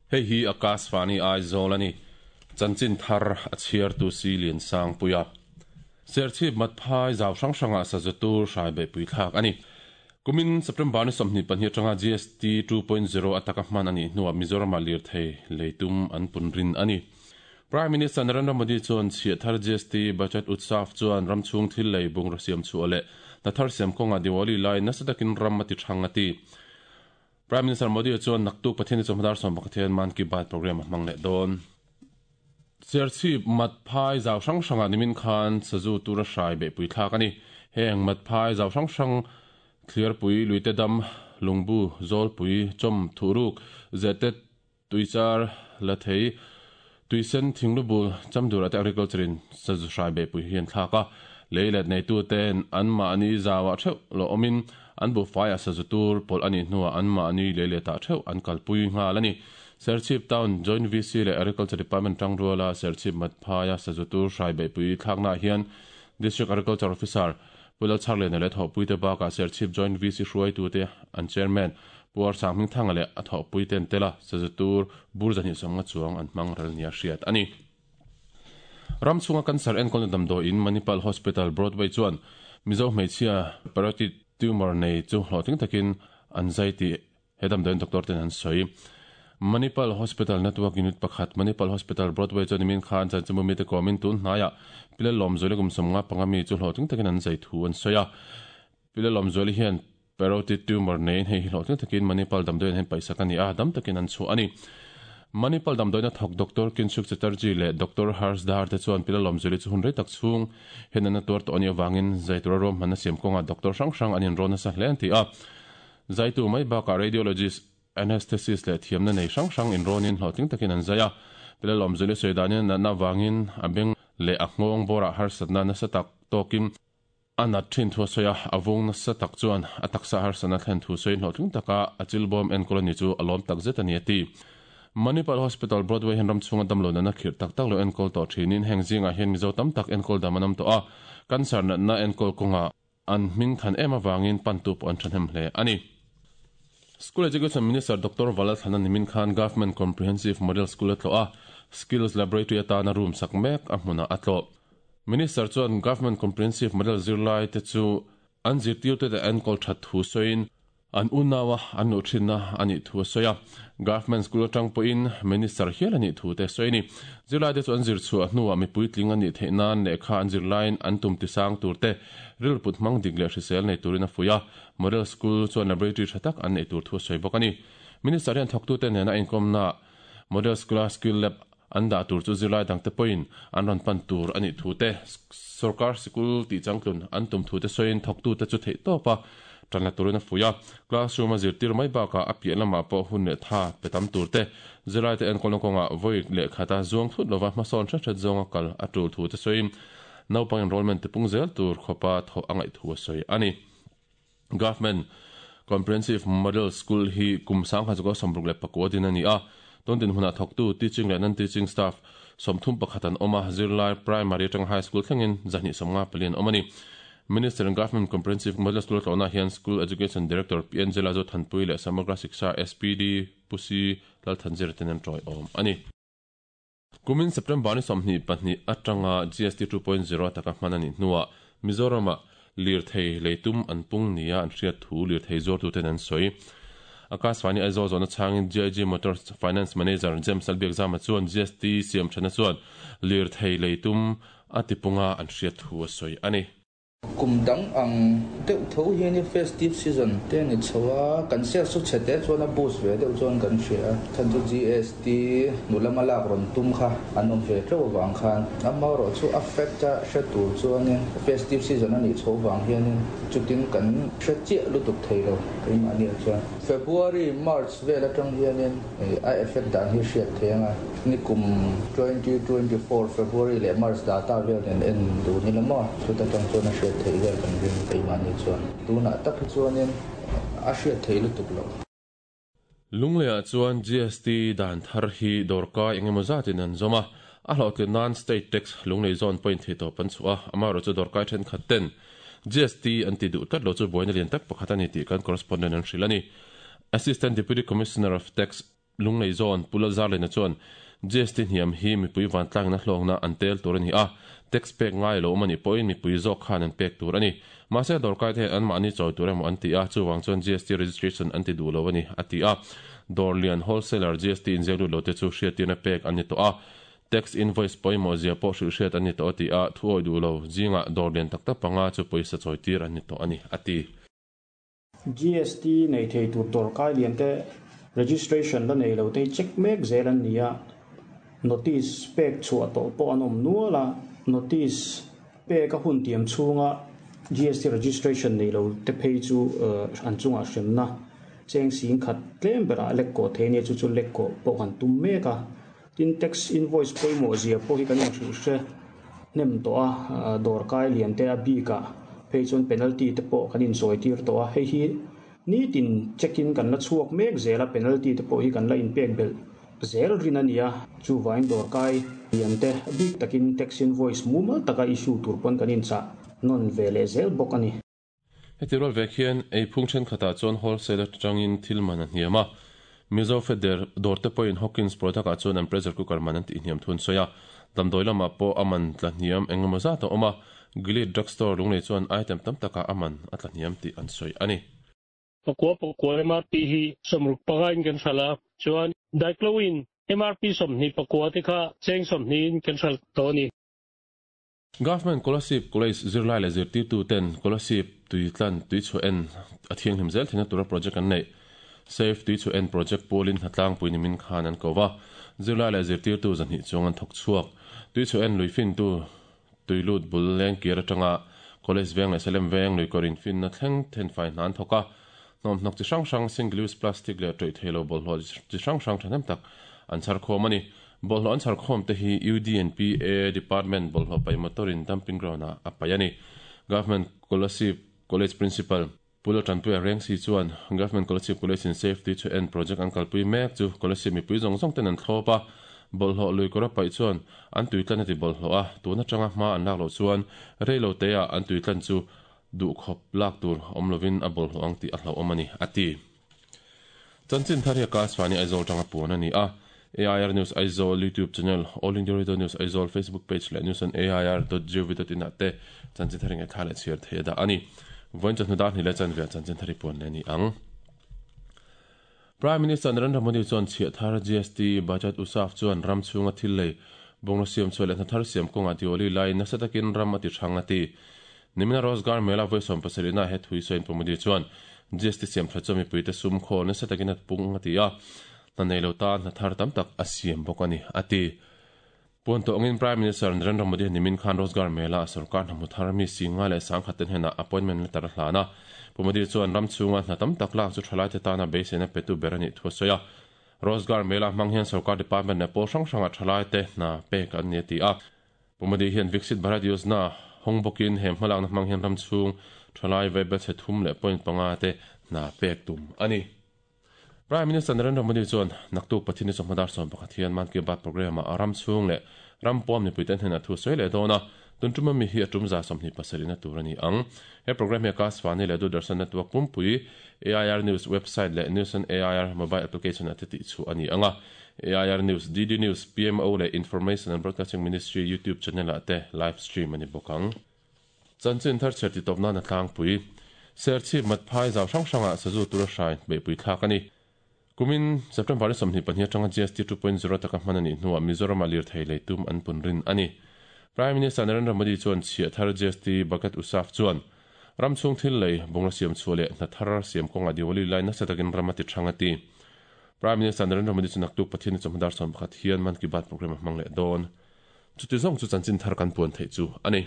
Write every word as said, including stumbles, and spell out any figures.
Hei hi Akashvani Aizawl a ni. Chanchin thar a chhiartu si Lian Sangpuia. Serchhip Matphai zau hrang hrangah sazu tur hrai beihpui thlak a ni. Kumin September ni sawmhnih pahnih atanga G S T two point zero ataka hman a nih hnuah Mizoramah lirthei leitum an pun rin a ni. Prime Minister Narendra Modi chuan chhiah thar G S T Budget Utsav chuan ram chhung thil lei bungraw siam chhuah leh hna thar siam kawngah Diwali lai nasa takin ram a ti thang a ti. Prime Minister Modi chuan naktuk Pathian ni chawhmadar sawm pakhat hian Mann Ki Baat program a hmang leh dawn. Serchhip Matphai zau hrang hrangah nimin khan sazu tura hrai beihpui thlak a ni. Heng Matphai zau hrang hrang Thliarpui, Luite Dam, Lungbu, Zawlpui, Chawm, Thuhruk, Zete, Tuichar, Lathei, Tuisen, Thinglubul, Chamdurah te Agriculture in sazu hrai beihpui hi an thlak a. Lei let neituten anmahni zauah theuh lo awmin an buhfaiah sazu tur pawlh a nih hnuah anmahni lei letah theuh an kalpui nghal a ni. Serchhip Town Joint V C leh Agriculture Department tangruala Serchhip Matphaia sazu tur hrai beihpui thlaknaah hian District Agriculture Officer Pu Lalchharliana leh thawhpuite bakah Serchhip Joint V C hruaitute an Chairman Pu Arsang Hmingthanga leh a thawhpuite an tel a, sazu tur bur zahnih sawmnga chuang an hmang ral nia hriat a ni. Ram chhunga cancer enkawlna damdawiin Manipal Hospital Broadway chuan Mizo hmeichhia parotid tumor nei chu hlawhtling takin an zai tih he damdawiin doctor ten an sawi. Manipal Hospital Network Unit pakhat Manipal Hospital Broadway chuan nimin khan chanchinbu mite kawmin tun hnaiah Pile Lawmzuali kum sawmnga panga mi chu hlawhtling takin an zai thu an sawi a. Pile Lawmzuali hian parotid tumor neiin hei hi hlawhtling takin Manipal damdawiin hian paihsak a ni a, dam takin an chhuah a ni. Manipal damdawiina thawk Doctor Kinshuk Chatterjee leh Doctor Harsh Dhar te chuan Pile Lawmzuali chu hun rei tak chhung hian an tuar tawh a nih avangin zai tura ruahmanna siam kawngah doctor hrang hrang an inrawn nasa hle an ti a. Zaitu mai bakah radiologist, anesthesist leh thiamna nei hrang hrang inrawnin hlawhtling takin an zai a. Pile Lawmzuali sawi danin natna avangin a beng leh a nghawng bawrah harsatna nasa tak tawkin a nat thin thu a sawi a, a vung nasa tak chuan a taksa harsatna thlen thu sawiin hlawhtling taka a chilbawm enkawl a ni chu a lawm tak zet a ni a ti. Manipal Hospital Broadway hian ram chhunga damlo natna khirh tak tak lo enkawl tawh thinin heng zingah hian Mizo tam tak enkawl dam an awm tawh a, cancer natna enkawl kawngah an hming than em avangin pantu pawh an thahnem hle a ni. School Education Minister Doctor Valalthana nimin khan Government Comprehensive Model School a tlawh a, Skills Laboratory atana room sak mek a hmunah a tlawh. Minister chuan Government Comprehensive Model zirlai te chu an zirtirte te enkawl that thu sawiin an unawa an luh thinna a nih thu a sawi a. Government School atang pawhin Minister hial a nih thu te sawi a ni. Zirlai te chu an zir chhuah hnuah mipui tling a nih theih nan lehkha an zirlaiin an tum tisang tur te rilput hmang dik leh hrisel nei turin a fuih a. Model School chuan laboratory tha tak an neih tur thu a sawi bawk a ni. Minister hian thawktute nena inkawmna Model School-a Skill Lab an dah tur chu zirlai dangte pawhin an rawn pan tur a nih thu te, sorkar sikul tih changtlun an tum thu te sawiin thawktute chu theih tawp a tan la turin a fuih a. Classroom a zirtir mai bakah a piah lamah pawh hun leh tha pe tam tur te, zirlaite enkawlna kawngah vawi leh khata zuang thut lova hmasawn hret hret zawnga kal a tul thu te sawiin naupang enrollment tipung zel tur khawpa thawh a ngaih thu a sawi a ni. Government Comprehensive Model School hi kum sangha chu sawmruk leh pakua din a ni a. Tun dinhmunah thawktu teaching leh non-teaching staff sawmthum pakhat an awm a, zirlai primary atanga high school thlengin zahnih sawmnga pali an awm a ni. Minister in Government Comprehensive Model School a tlawhnaah hian School Education Director P N Zela Zothanpui leh Samagra Shiksha S P D Pu C Lalthanzira ten an tawiawm a ni. Kumin September ni sawmhnih pahnih atanga G S T two point zero taka hman a nih hnuah Mizoramah lirthei leitum an pung nia an hriat thu lirthei zuartuten an sawi. Akashvani Aizawl zawhna chhangin G I G Motors Finance Manager James Lalbiakzama chuan G S T siam thana chuan lirthei leitum a tipunga an hriat thu a sawi a ni. Kum dang ang deuh tho hian festive season te ni chho a, kan sales chu chhe te chuan a boost ve deuh chuan kan hria a, chhan chu G S T nu lama lak rawn tum kha an awm ve teuh avang khan amaherawh chu a fact a hre tur chuanin festive season a nih chho vang hianin chutin kan hre chiah lutuk thei lo keimahniah chuan February, March vel atang hianin a effect dan hi hriat thei anga ni kum twenty twenty four February leh March data vel nen en duh ni la maw chuta tang chuan a hriat thei vel kan ring keimahni chuan tunah tak hi chuanin a hriat thei lutuk lo. Lungleiah chuan G S T dan thar hi dawrkai engemaw zatin an zawm a, a hlawhtlin nan state tax lunglei zawn point thei tawp an chhuah a, amaherawh chu dawrkai thenkhat ten G S T an ti duh tlat lo chu buaina lian tak pakhat a ni tih kan correspondent an hrilh a ni. Assistant Deputy Commissioner of Tax Lunglei Zone Pu Lalzarliana chuan G S T hniam hi mipui vantlangin a hlawkna an tel tur a ni a, tax pek ngai lo awm a nih pawhin mipui zawk khan an pek tur a ni. Mahse dawrkai te hian anmahni chawi tur emaw an ti a, chuvang chuan G S T registration an ti duh lo a ni, a ti a. Dawr lian wholesaler G S T inziak lut lo te chu hriattirna pek an ni tawh a, tax invoice pawimawh zia pawh hrilh hriat an ni tawh a ti a, thu awih duh lo zingah dawr lian tak tak panga chu pawisa chawitir an ni tawh a ni, a ti. G S T nei thei tur dawrkai lian te registration la nei lo te hi check mek zel an ni a, notice pek chhuah tawh pawh an awm nual a, notice pek a hun tiam chhunga G S T registration nei lo te phei chu an chungah hremna cheng sing khat tlem berah lek kawh thei nia chu chu lek kawh pawh kan tum mek a, tin tax invoice pawimawh zia pawh hi kan inhrilh hre hnem tawh a, dawrkai lian te a bikah phei chuan penalty te pawh kan inchawi tir tawh a, hei hi nitin check-in kan la chhuak mek zel a, penalty te pawh hi kan la inpek belh zel rin a ni a, chuvain dawrkai lian te bik takin tax invoice mumal taka issue tur pawn kan inchah nawn ve leh zel bawk a ni. Heti rual vek hian ei phung thenkhatah chuan wholesale atangin thil man a hniam a, Mizo Feder dawr te pawhin Hawkins product ah chuan an pressure cooker man an tih hniam thun sawi a, damdawi lamah pawh a man tla hniam engemaw zat a awm a, Gilead Drugstore Lunglei chuan item tam takah a man a tla hniam tih an sawi a ni. Pakua pakua M R P hi sawmruk pangain kan hral a, chuan Diclowin M R P sawmhnih pakua te kha cheng sawmhnihin kan hral tawh a ni. Government Kolasib College zirlai leh zirtirtu ten Kolasib tuitlan tuichhuah en a thianghlim zel theihna tura project an neih. Safe tuichhuah en project pawlin hnatlangpui nimin khan an ko va, zirlai leh zirtirtu zahnih chuang an thawk chhuak. Tuichhuah en lui fintu tuilut bul leng kir atanga college veng leh Salem veng lui kawrin finna thleng thenfai hna an thawk a, hnawmhnawk chi hrang hrang single use plastic leh tawih theilo bawlhhlawh chi hrang hrang thahnem tak an chhar khawm a ni. Bawlhhlawh an chhar khawm te hi U D and P A Department bawlhhlawh paih motor in dumping ground ah a paih a ni. Government Kolasib College Principal Pu Laltanpuia Rengsi chuan Government Kolasib College in Safety chu en project an kalpui mek chu Kolasib mipui zawng zawng ten an thlawp a, bawlhhlawh lui kawr a paih chuan an tuitlan a ti bawlhhlawh a, tun atanga hma an lak loh chuan reilo te ah an tuitlan chu duhkhawp lak tur awm lovin a bawlhhlawh ang tih a hlauhawm a ni, a ti. Chanchin thar hi a Akashvani Aizawl tanga puan a ni a, A I R News Aizawl YouTube channel, All India Radio News Aizawl Facebook page leh news on A I R dot gov dot in ah te chanchin thar ngaihthla leh chhiar thei a dah a ni. Vawiin chawhnu dar hnih leh chanve chanchin thar hi puan leh a ni ang. Prime Minister Narendra Modi chuan chhiah thar G S T budget usaf chuan ram chhunga thil lei bawnglo siam chhuah leh hna thar siam kawngah Diwali laiin nasa takin ram a ti hrang a ti. Nimina Rozgar Mela vawi sawm pasarihna he thui sawiin Pu Modi chuan G S T siam tha chu mipuite sum khawl nasa takin a pung a ti a, hna nei lo ta hna thar tam tak a siam bawk a ni, a ti. Puan tawh angin Prime Minister Narendra Modi nimin khan Rozgar Mela a sarkar hna hmu thar mi singa leh sangkhat ten henah appointment letter a hlan a. Pu Modi chuan ram chhunga hna tam tak lak chu thalai te tana beiseina petu ber a nih thu a sawi a. Rozgar Mela hmang hian sarkar department leh pawl hrang hranga thalai te hna pek an ni a ti a. Pu Modi hian Viksit Bharat Yojana hawng bawkin he hmalakna hmang hian ram chhung thalai vaibel chhe thum leh point panga te hna pek tum a ni. Prime Minister Narendra Modi chuan naktuk Pathian ni chawhma dar sawm pakhat hian Mann Ki Baat program ah ram chhung leh ram pawm mipui ten hnenah thu sawi leh dawn a, tun tuma mi hi a tum za sawmhnih pasarihna tur a ni ang. He program hi Akashvani leh Doordarshan Network pumpui A I R News website leh News on A I R mobile application ah te tih chhuah a ni ang a. A I R News, D D News, P M O leh Information and Broadcasting Ministry YouTube channel ah te live stream a ni bawk ang. Chanchin thar chher ti tawp nan a tlangpui. Serchhip Matphai zau hrang hrangah sazu tura hrai beihpui thlak a ni. Kumin September ni sawmhnih pahnih atanga G S T two point zero taka hman a nih hnuah Mizoram ah lirthei lei tum an pun rin a ni. Prime Minister Narendra Modi chuan chhiah thar G S T bucket usaf chuan ram chhung thil lei bungra siam chhuah leh hna thar siam kawngah Diwali lai nasa takin ram a ti thang a ti. Prime Minister Narendra Modi chu naktuk Pathian ni chawhma dar sawm pakhat hian Mann Ki Baat program a hmang leh dawn. Chuti zawng chu chanchin thar kan puan theih chu a ni.